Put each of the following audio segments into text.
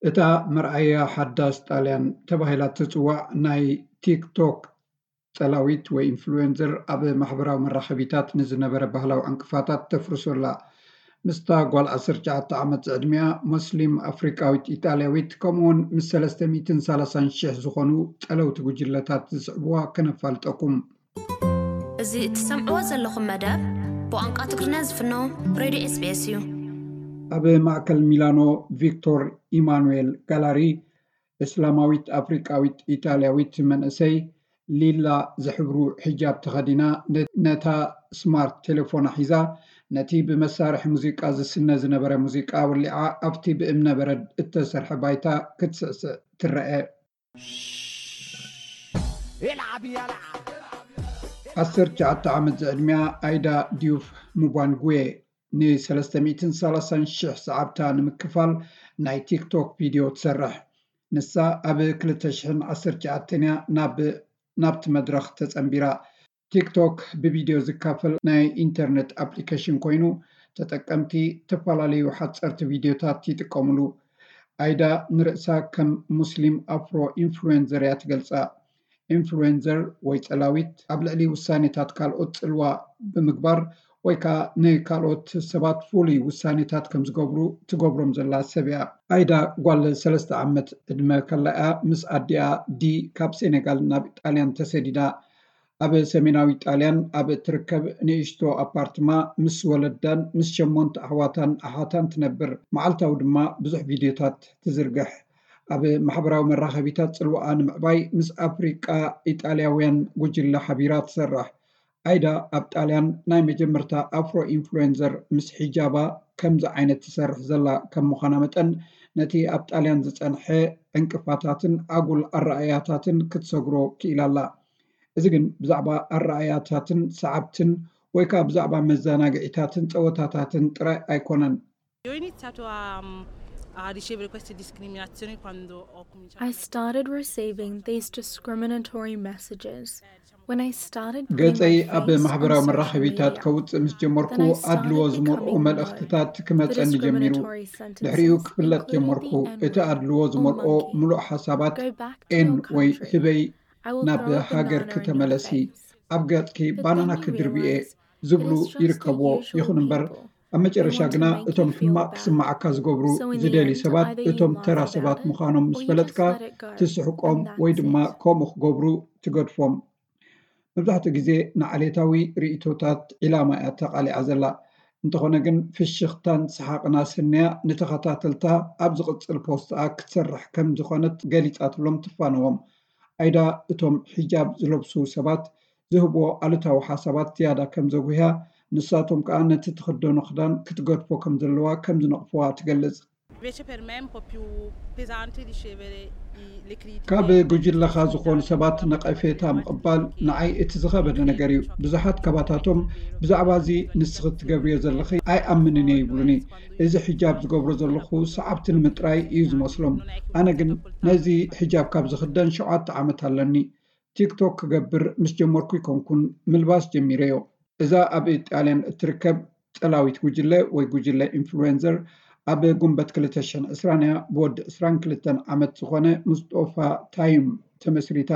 እታ መርኣያ ሓዳስ ጣልያን ተባሂላ እትጽዋዕ ናይ ቲክቶክ ጸላዊት ወይ ኢንፍሉዌንሰር፣ ኣብ ማሕበራዊ መራኸቢታት ንዝነበረ ባህላዊ ዕንቅፋታት ተፍርሶ ኣላ። ምስታ ጓል ዓሰርተ ትሽዓተ ዓመት ዝዕድሚኣ፣ ሞስሊም ኣፍሪቃዊት ኢጣልያዊት፣ ከምኡውን ምስ ሰለስተ ሚእትን ሰላሳን ሽሕ ዝኾኑ ጸለውቲ ጉጅለታት ዝስዕብዋ ከነፋልጠኩም። እዚ እትሰምዕዎ ዘለኹም መደብ ብቋንቋ ትግርኛ ዝፍኖ ሬድዮ ኤስቢኤስ እዩ። ኣብ ማእከል ሚላኖ፣ ቪክቶር ኢማኑኤል ጋላሪ፣ እስላማዊት ኣፍሪቃዊት ኢጣልያዊት መንእሰይ፣ ሊላ ዝሕብሩ ሒጃብ ተኸዲና፣ ነ-፣ ነታ ስማርት ቴሌፎና ሒዛ፣ ነቲ ብመሳርሒ ሙዚቃ ዝስነ ዝነበረ ሙዚቃ ወሊዓ፣ ኣብቲ ብእምነበረድ እተሰርሐ ባይታ ክትስዕስዕ ትረአ። ዓሰርተ ትሽዓተ ዓመት ዝዕድሚኣ ኣይዳ ዲዩፍ ሙባንጉዌ፣ ን ሰለስተ ሚእትን ሰላሳን ሽሕ ሰዓብታ ንምክፋል ናይ ቲክቶክ ቪድዮ ትሰርሕ። ንሳ ኣብ ክልተ ሽሕን ዓሰርተ ትሽዓተን እያ ናብ፣ ናብቲ መድረኽ ተጸንቢራ። ቲክቶክ ብቪድዮ ዝካፈል ናይ ኢንተርነት ኣፕሊኬሽን ኮይኑ፣ ተጠቀምቲ ዝተፈላለዩ ሓጸርቲ ቪድዮታት ይጥቀምሉ። ኣይዳ ንርእሳ ከም ሙስሊም ኣፍሮ ኢንፍሉዌንሰር እያ ትገልጻ። ኢንፍሉዌንሰር ወይ ጸላዊት ኣብ ልዕሊ ውሳኔታት ካልኦት ጽልዋ ብምግባር ወይ ከኣ ንካልኦት ሰባት ፍሉይ ውሳኔታት ከም ዝገብሩ ትገብሮም ዘላ ሰብ እያ። ኣይዳ ጓል ሰለስተ ዓመት ዕድመ ከላ እያ ምስ ኣዲኣ ዲ ካብ ሴኔጋል ናብ ጣልያን ተሰዲዳ። ኣብ ሰሜናዊ ጣልያን ኣብ እትርከብ ንእሽቶ ኣፓርትማ ምስ ወለዳን ምስ ሸሞንተ ኣሕዋታን ኣሓታን ትነብር። መዓልታዊ ድማ ብዙሕ ቪድዮታት ትዝርግሕ። ኣብ ማሕበራዊ መራኸቢታት ጽልዋኣ ንምዕባይ ምስ ኣፍሪቃ ኢጣልያውያን ጉጅለ ሓቢራ ትሰርሕ። ኣይዳ ኣብ ጣልያን ናይ መጀመርታ ኣፍሮ ኢንፍሉዌንሰር ምስ ሒጃባ ከምዚ ዓይነት ትሰርሕ ዘላ ከም ምዃና መጠን፣ ነቲ ኣብ ጣልያን ዝጸንሐ ዕንቅፋታትን ኣጉል ኣረኣእያታትን ክትሰግሮ ክኢላ ኣላ። እዚ ግን ብዛዕባ ኣረኣእያታትን ሰዓብትን ወይ ከኣ ብዛዕባ መዘናግዒታትን ጸወታታትን ጥራይ ኣይኮነን። Io ho iniziato a, a ricevere queste discriminazioni quando ho cominciato I a started receiving these discriminatory messages when I started putting ገጸይ my ኣብ face on ማሕበራዊ social መራኸቢታት media. ከውጽእ ምስ ጀመርኩ Then I ኣድልዎ started ዝመልኦ becoming መልእኽትታት known for ክመጸኒ ጀሚሩ። discriminatory ድሕሪኡ sentences, ክፍለጥ including ጀመርኩ። the እቲ N-word. ኣድልዎ Oh, ዝመልኦ monkey. ምሉእ ሓሳባት Go back to ኤን your ወይ country. ህበይ I will ናብ throw up ሃገር banana in your ክተመለሲ፣ face. ኣብ ገጽኪ But ባናና then you ክድርብየ realize ዝብሉ it is just the ይርከብዎ። usual ይኹን እምበር people. ኣብ መጨረሻ They want to ግና make you እቶም feel ሕማቅ bad. ስምዓካ ዝገብሩ So in the ዝደልዩ end, ሰባት either you እቶም laugh ተራ it ሰባት off ምዃኖም or ምስ you just ፈለጥካ let it go. ትስሕቆም And ወይ that's ድማ it. ከምኡ ክገብሩ ትገድፎም። መብዛሕትኡ ግዜ ንዓሌታዊ ርእይቶታት ዒላማ እያ ተቓሊዓ ዘላ። እንተኾነ ግን ፍሽኽታን ሰሓቕን ኣሰንያ ንተኸታተልታ ኣብ ዝቕጽል ፖስትኣ ክትሰርሕ ከም ዝኾነት ገሊጻትሎም ትፋነዎም። ኣይዳ እቶም ሒጃብ ዝለብሱ ሰባት ዝህብዎ ኣሉታዊ ሓሳባት ዝያዳ ከም ዘጉህያ፣ ንሳቶም ከኣ ነቲ ትኽደኖ ክዳን ክትገድፎ ከም ዘለዋ ከም ዝነቕፍዋ ትገልጽ። Invece per me è un po' più pesante ricevere i- le critiche. ካብ ጉጅለኻ ዝኾኑ ሰባት ነቐፌታ ምቕባል ንዓይ እቲ ዝኸበደ ነገር እዩ። ብዙሓት ካባታቶም ብዛዕባ እዚ ንስኺ ትገብርዮ ዘለኺ ኣይኣምንን እየ ይብሉኒ። እዚ ሒጃብ ዝገብሮ ዘለኹ ሰዓብቲ ንምጥራይ እዩ ዝመስሎም። ኣነ ግን ነዚ ሒጃብ ካብ ዝኽደን ሸውዓተ ዓመት ኣለኒ። ቲክቶክ ክገብር ምስ ጀመርኩ ይኮንኩን ምልባስ ጀሚረዮ። እዛ ኣብ ጣልያን እትርከብ ጸላዊት ጉጅለ ወይ ጉጅለ ኢንፍሉዌንሰር ኣብ ጉንበት ክልተ ሽሕን ዕስራን እያ ብወዲ ዕስራን ክልተን ዓመት ዝኾነ ሙስጦፋ ታይም ተመስሪታ።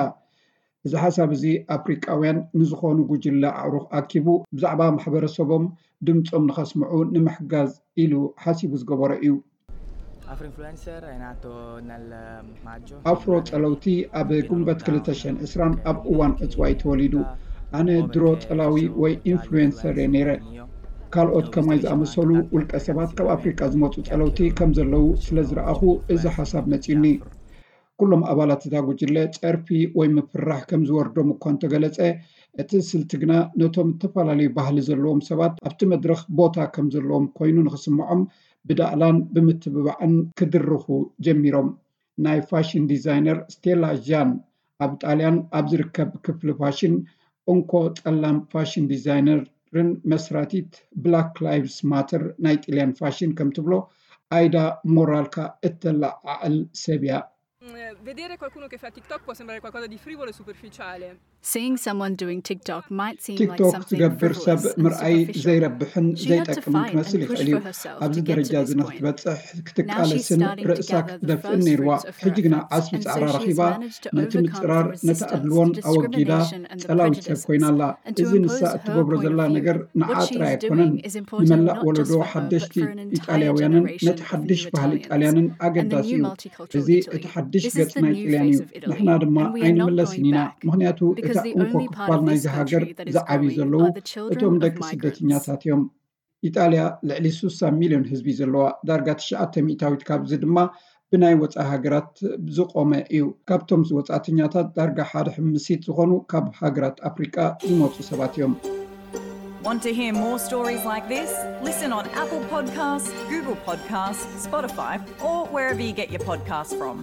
እዚ ሓሳብ እዚ ኣፍሪቃውያን ንዝኾኑ ጉጅለ ኣዕሩኽ ኣኪቡ ብዛዕባ ማሕበረሰቦም ድምጾም ንኸስምዑ ንምሕጋዝ ኢሉ ሓሲቡ ዝገበሮ እዩ። Afro Influencer è nato nel maggio. ኣፍሮ ጸለውቲ ኣብ ጉንበት ክልተ ሽሕን ዕስራን ኣብ እዋን ዕጽዋይ ተወሊዱ። ኣነ ድሮ ጸላዊ ወይ ኢንፍሉዌንሰር እየ ነይረ። ካልኦት ከማይ ዝኣመሰሉ ውልቀ ሰባት ካብ ኣፍሪቃ ዝመጹ ጸለውቲ ከም ዘለዉ ስለ ዝረኣኹ እዚ ሓሳብ መጺኡኒ። ኩሎም ኣባላት እታ ጉጅለ ጸርፊ ወይ ምፍርራሕ ከም ዝወርዶም እኳ እንተገለጸ፣ እቲ ስልቲ ግና ነቶም ዝተፈላለዩ ባህሊ ዘለዎም ሰባት ኣብቲ መድረኽ ቦታ ከም ዘለዎም ኮይኑ ንኽስምዖም ብዳእላን ብምትብባዕን ክድርኹ ጀሚሮም። ናይ ፋሽን ዲዛይነር ስቴላ ዣን ኣብ ጣልያን ኣብ ዝርከብ ክፍሊ ፋሽን እንኮ ጸላም ፋሽን ዲዛይነርን መስራቲት ብላክ ላይቭስ ማተር ናይ ጥልያን ፋሽን ከም ትብሎ፣ ኣይዳ ሞራልካ እተለዓዕል ሰብ እያ። Vedere qualcuno che fa TikTok può sembrare qualcosa di frivolo e superficiale. Seeing someone doing TikTok might seem like ቲክቶክ something ዝገብር ሰብ frivolous and ምርኣይ superficial. ዘይረብሕን She had to ዘይጠቅምን fight and ክመስል push ይኽእል እዩ። for herself ኣብዚ to get ደረጃ to እዚ this point. ንክትበፅሕ Now she's ክትቃለስን starting to ርእሳ gather the ክትደፍእን first ነይርዋ። fruits of her ሕጂ ግና efforts ዓስቢ and so ፃዕራ she has ረኺባ managed to ነቲ overcome ምፅራር some ነቲ resistance ኣድልዎን to ኣወጊዳ discrimination and the ጸላዊት ሰብ prejudice ኮይና ኣላ። and to እዚ ንሳ impose her እትገብሮ point ዘላ of view. ነገር What ንዓኣ she's ጥራይ ኣይኮነን። Doing is important ንመላእ not ወለዶ just for her, but ሓደሽቲ for an entire ኢጣልያውያንን generation ነቲ of ሓድሽ new ባህሊ Italians ኢጣልያንን and the ኣገዳሲ new እዩ። Multicultural እዚ Italy. እቲ ሓድሽ This is ገጽ the ናይ new ኢጣልያን face እዩ። of Italy, ንሕና ድማ and we are not ኣይንምለስን going ኢና፣ back, ምኽንያቱ እቲ because the ዕንኮ only part ክፋል of ናይዚ this ሃገር country that is ዝዓብዩ growing ዘለዉ are the children እቶም of ደቂ migrants. ስደተኛታት እዮም። ኢጣልያ ልዕሊ ሱሳ ሚልዮን ህዝቢ ዘለዋ፣ ዳርጋ ትሽዓተ ሚእታዊት ካብዚ ድማ ብናይ ወጻኢ ሃገራት ዝቖመ እዩ። ካብቶም ወጻእተኛታት ዳርጋ ሓደ ሕምሲት ዝኾኑ ካብ ሃገራት ኣፍሪቃ ዝመጹ ሰባት እዮም። Want to hear more stories like this? Listen on Apple Podcasts, Google Podcasts, Spotify, or wherever you get your podcasts from.